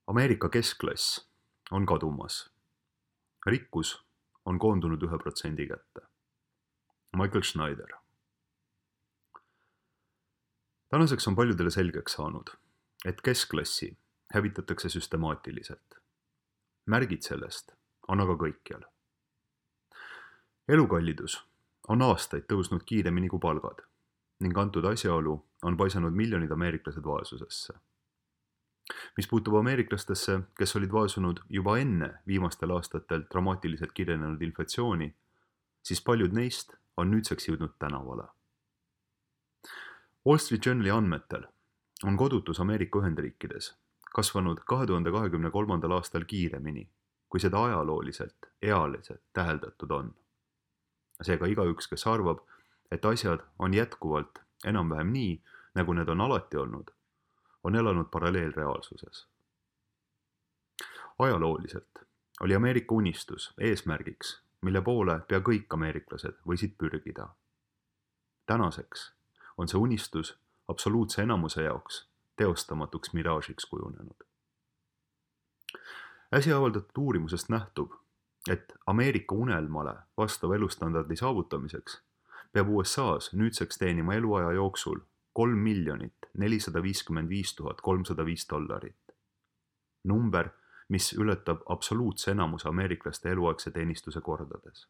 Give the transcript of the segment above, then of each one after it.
Ameerika keskklass on kadumas. Rikkus on koondunud 1% kätte. Michael Schneider. Tänaseks on paljudele selgeks saanud, et keskklassi hävitatakse süstemaatiliselt. Märgid sellest on aga kõikjal. Elukallidus on aastaid tõusnud kiiremini kui palgad ning antud asjaolu on paisanud miljonid ameeriklased vaesusesse. Mis puutub ameeriklastesse, kes olid vaesunud juba enne viimastel aastatel dramaatiliselt kiirenenud inflatsiooni, siis paljud neist on nüüdseks jõudnud tänavale. Wall Street Journali andmetel on kodutus Ameerika Ühendriikides kasvanud 2023. aastal kiiremini, kui seda ajalooliselt ealiselt täheldatud on. Seega igaüks, kes arvab, et asjad on jätkuvalt enam-vähem nii, nagu need on alati olnud, on elanud paralleelreaalsuses. Ajalooliselt oli Ameerika unistus eesmärgiks, mille poole pea kõik ameeriklased võisid pürgida. Tänaseks on see unistus absoluutse enamuse jaoks teostamatuks miraažiks kujunenud. Äsja avaldatud uurimusest nähtub, et Ameerika unelmale vastava elustandardi saavutamiseks peab USA-s nüüdseks teenima eluaja jooksul $3,455,305. Number, mis ületab absoluutse enamuse ameeriklaste eluaegse teenistuse kordades.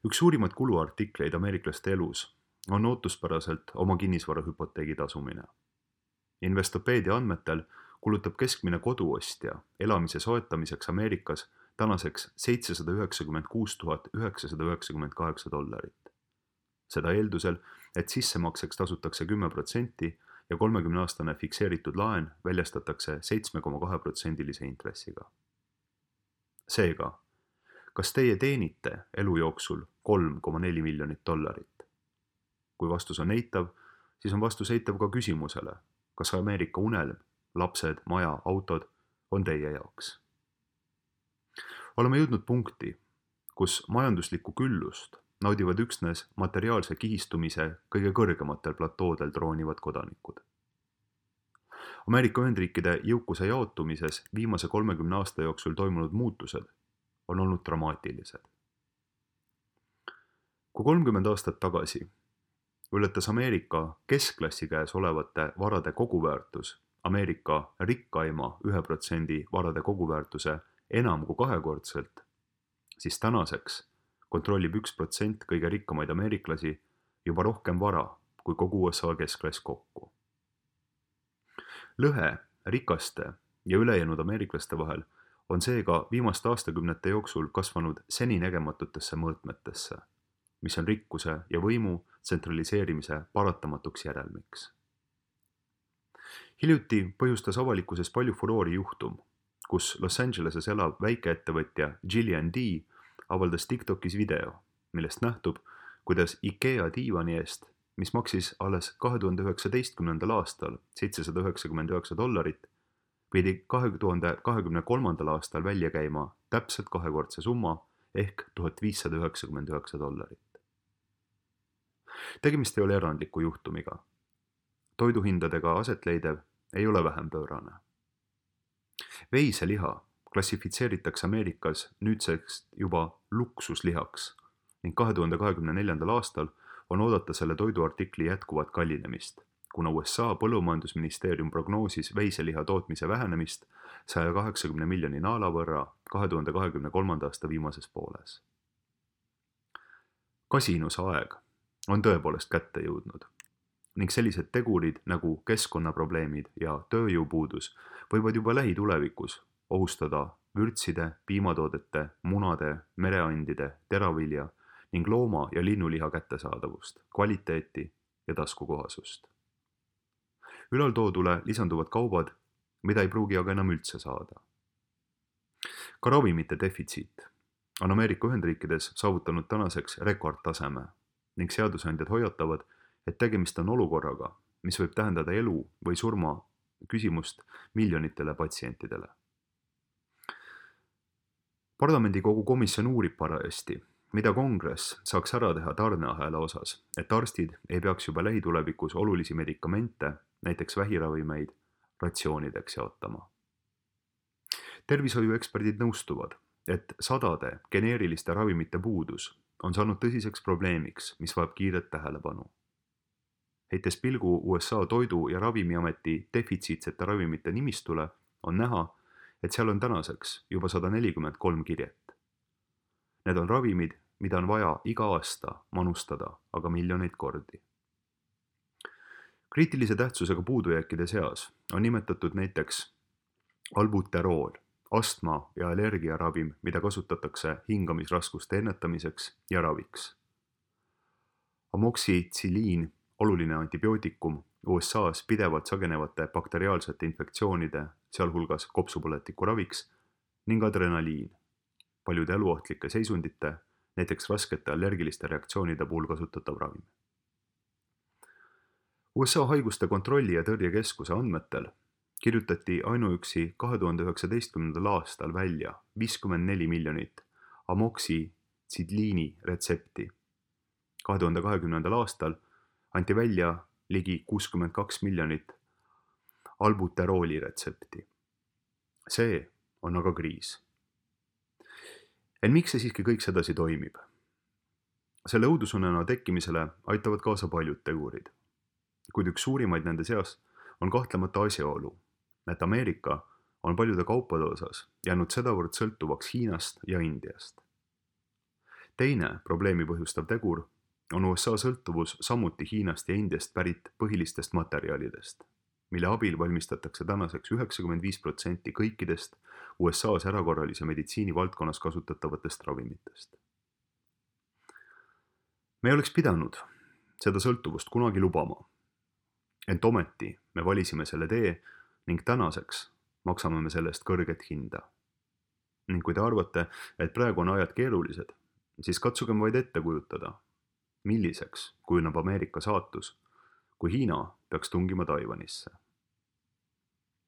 Üks suurimaid kuluartikleid ameeriklaste elus on ootuspäraselt oma kinnisvarahüpoteegi tasumine. Investopeedia andmetel kulutab keskmine koduostja elamise soetamiseks Ameerikas tänaseks $796,998. Seda eeldusel, et sissemakseks tasutakse 10% ja 30-aastane fikseeritud laen väljastatakse 7,2% intressiga. Seega, kas teie teenite elu jooksul $3,4 miljonit? Kui vastus on eitav, siis on vastus eitav ka küsimusele, kas Ameerika unelm, lapsed, maja, autod on teie jaoks. Oleme jõudnud punkti, kus majanduslikku küllust naudivad üksnes materiaalse kihistumise kõige kõrgematel platoodel troonivad kodanikud. Ameerika Ühendriikide jõukuse jaotumises viimase 30 aasta jooksul toimunud muutused on olnud dramaatilised. Kui 30 aastat tagasi ületas Ameerika keskklassi käes olevate varade koguväärtus Ameerika rikkaima 1% varade koguväärtuse enam kui kahekordselt, siis tänaseks kontrollib 1% kõige rikkamaid ameeriklasi juba rohkem vara kui kogu USA keskklass kokku. Lõhe rikaste ja ülejäänud ameeriklaste vahel on seega viimaste aastakümnete jooksul kasvanud seninägematutesse mõõtmetesse, mis on rikkuse ja võimu tsentraliseerimise paratamatuks järelmiks. Hiljuti põhjustas avalikkuses palju furoori juhtum, kus Los Angeleses elav väikeettevõtja Jillian D. avaldas TikTokis video, millest nähtub, kuidas IKEA diivani eest, mis maksis alles 2019. aastal $799, pidi 2023. aastal välja käima täpselt kahekordse summa ehk $1599. Tegemist ei ole erandliku juhtumiga. Toiduhindadega asetleidev ei ole vähem pöörane. Veiseliha klassifitseeritakse Ameerikas nüüdseks juba luksuslihaks ning 2024. aastal on oodata selle toiduartikli jätkuvat kallinemist, kuna USA põllumajandusministeerium prognoosis veiseliha tootmise vähenemist 180 miljoni naela võrra 2023. aasta viimases pooles. Kasinuse aeg on tõepoolest kätte jõudnud ning sellised tegurid nagu keskkonnaprobleemid ja tööjõupuudus võivad juba lähitulevikus ohustada vürtside, piimatoodete, munade, mereandide, teravilja ning looma- ja linnuliha kättesaadavust, kvaliteeti ja taskukohasust. Ülaltoodule lisanduvad kaubad, mida ei pruugi aga enam üldse saada. Ka ravimite defitsiit on Ameerika Ühendriikides saavutanud tänaseks rekordtaseme ning seadusandjad hoiatavad, et tegemist on olukorraga, mis võib tähendada elu või surma küsimust miljonitele patsientidele. Parlamendikogu komisjon uurib parajasti, mida kongress saaks ära teha tarneahela osas, et arstid ei peaks juba lähitulevikus olulisi medikamente, näiteks vähiravimeid, ratsioonideks jaotama. Tervishoiueksperdid nõustuvad, et sadade geneeriliste ravimite puudus on saanud tõsiseks probleemiks, mis vajab kiiret tähelepanu. Heites pilgu USA Toidu- ja Ravimiameti defitsiitsete ravimite nimistule, on näha, et seal on tänaseks juba 143 kirjet. Need on ravimid, mida on vaja iga aasta manustada aga miljoneid kordi. Kriitilise tähtsusega puudujääkide seas on nimetatud näiteks albuterool, astma- ja allergiaravim, mida kasutatakse hingamisraskuste ennetamiseks ja raviks. Amoksitsiliin, oluline antibiootikum USA's pidevalt sagenevate bakteriaalsete infektsioonide, sealhulgas kopsupõletiku raviks, ning adrenaliin, paljude eluohtlike seisundite, näiteks raskete allergiliste reaktsioonide puhul kasutatav ravim. USA haiguste kontrolli- ja tõrjekeskuse andmetel kirjutati ainuüksi 2019. aastal välja 54 miljonit amoksitsiliini retsepti. 2020. aastal anti välja ligi 62 miljonit albuterooli retsepti. See on aga kriis. Ent miks see siiski kõik sedasi toimib? Selle õudusunena tekkimisele aitavad kaasa paljud tegurid, kuid üks suurimaid nende seas on kahtlemata asjaolu, et Ameerika on paljude kaupade osas jäänud sedavõrd sõltuvaks Hiinast ja Indiast. Teine probleemi põhjustav tegur on USA sõltuvus samuti Hiinast ja Indiast pärit põhilistest materjalidest, mille abil valmistatakse tänaseks 95% kõikidest USA's erakorralise meditsiini valdkonnas kasutatavatest ravimitest. Me ei oleks pidanud seda sõltuvust kunagi lubama, ent ometi me valisime selle tee ning tänaseks maksame me sellest kõrget hinda. Ning kui te arvate, et praegu on ajad keerulised, siis katsugem vaid ette kujutada, milliseks kujuneb Ameerika saatus, kui Hiina peaks tungima Taiwanisse.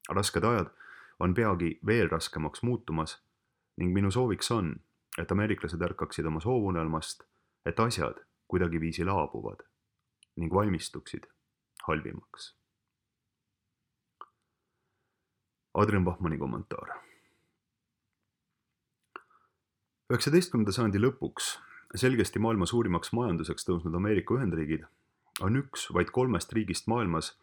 Rasked ajad on peagi veel raskemaks muutumas ning minu sooviks on, et ameeriklased ärkaksid oma soovunelmast, et asjad kuidagiviisi laabuvad ning valmistuksid halvimaks. Adrian Bachmanni kommentaar. 19. sajandi lõpuks selgesti maailma suurimaks majanduseks tõusnud Ameerika Ühendriigid on üks vaid 3 riigist maailmas,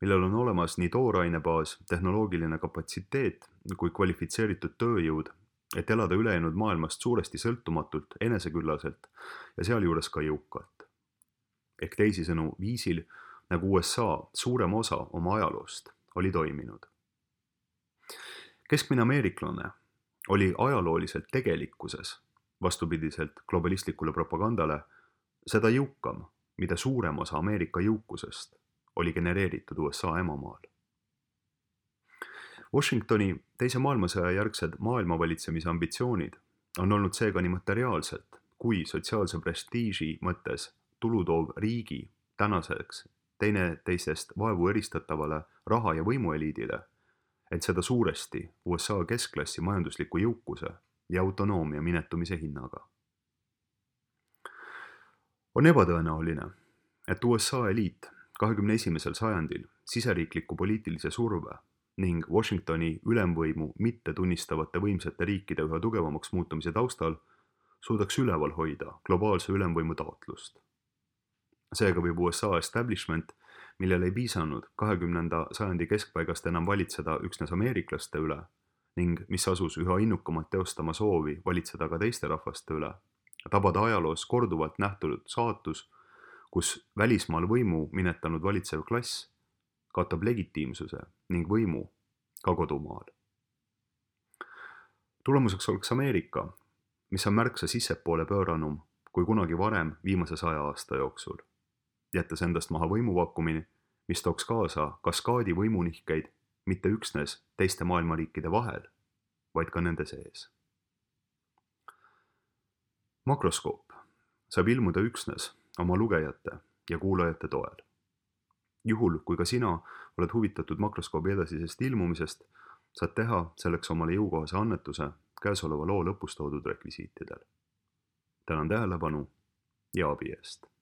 millel on olemas nii toorainebaas, tehnoloogiline kapatsiteet kui kvalifitseeritud tööjõud, et elada ülejäänud maailmast suuresti sõltumatult, eneseküllaselt ja sealjuures ka jõukalt. Ehk teisisõnu viisil, nagu USA suurem osa oma ajaloost oli toiminud. Keskmine ameeriklane oli ajalooliselt tegelikkuses, vastupidiselt globalistlikule propagandale, seda jõukam, mida suurem osa Ameerika jõukusest oli genereeritud USA emamaal. Washingtoni teise maailmasõja järgsed maailmavalitsemise ambitsioonid on olnud seega nii materiaalselt kui sotsiaalse prestiiži mõttes tulutoov riigi tänaseks teineteisest vaevu eristatavale raha- ja võimueliidile, et seda suuresti USA keskklassi majandusliku jõukuse ja autonoomia minetumise hinnaga. On ebatõenäoline, et USA eliit 21. sajandil siseriikliku poliitilise surve ning Washingtoni ülemvõimu mitte tunnistavate võimsate riikide üha tugevamaks muutumise taustal suudaks üleval hoida globaalse ülemvõimu taotlust. Seega võib USA establishment, millel ei piisanud 20. sajandi keskpaigast enam valitseda üksnes ameeriklaste üle ning mis asus üha innukamalt teostama soovi valitseda ka teiste rahvaste üle, tabada ajaloos korduvalt nähtud saatus, kus välismaal võimu minetanud valitsev klass kaotab legitiimsuse ning võimu ka kodumaal. Tulemuseks oleks Ameerika, mis on märksa sissepoole pööranum kui kunagi varem viimase 100 aasta jooksul, jättes endast maha võimuvakkumini, mis tooks kaasa kaskaadi võimunihkeid mitte üksnes teiste maailmariikide vahel, vaid ka nende sees. Makroskoop saab ilmuda üksnes oma lugejate ja kuulajate toel. Juhul, kui ka sina oled huvitatud makroskoobi edasisest ilmumisest, saad teha selleks omale jõukohase annetuse käesoleva loo lõpus toodud rekvisiitidel. Tänan tähelepanu ja abi eest!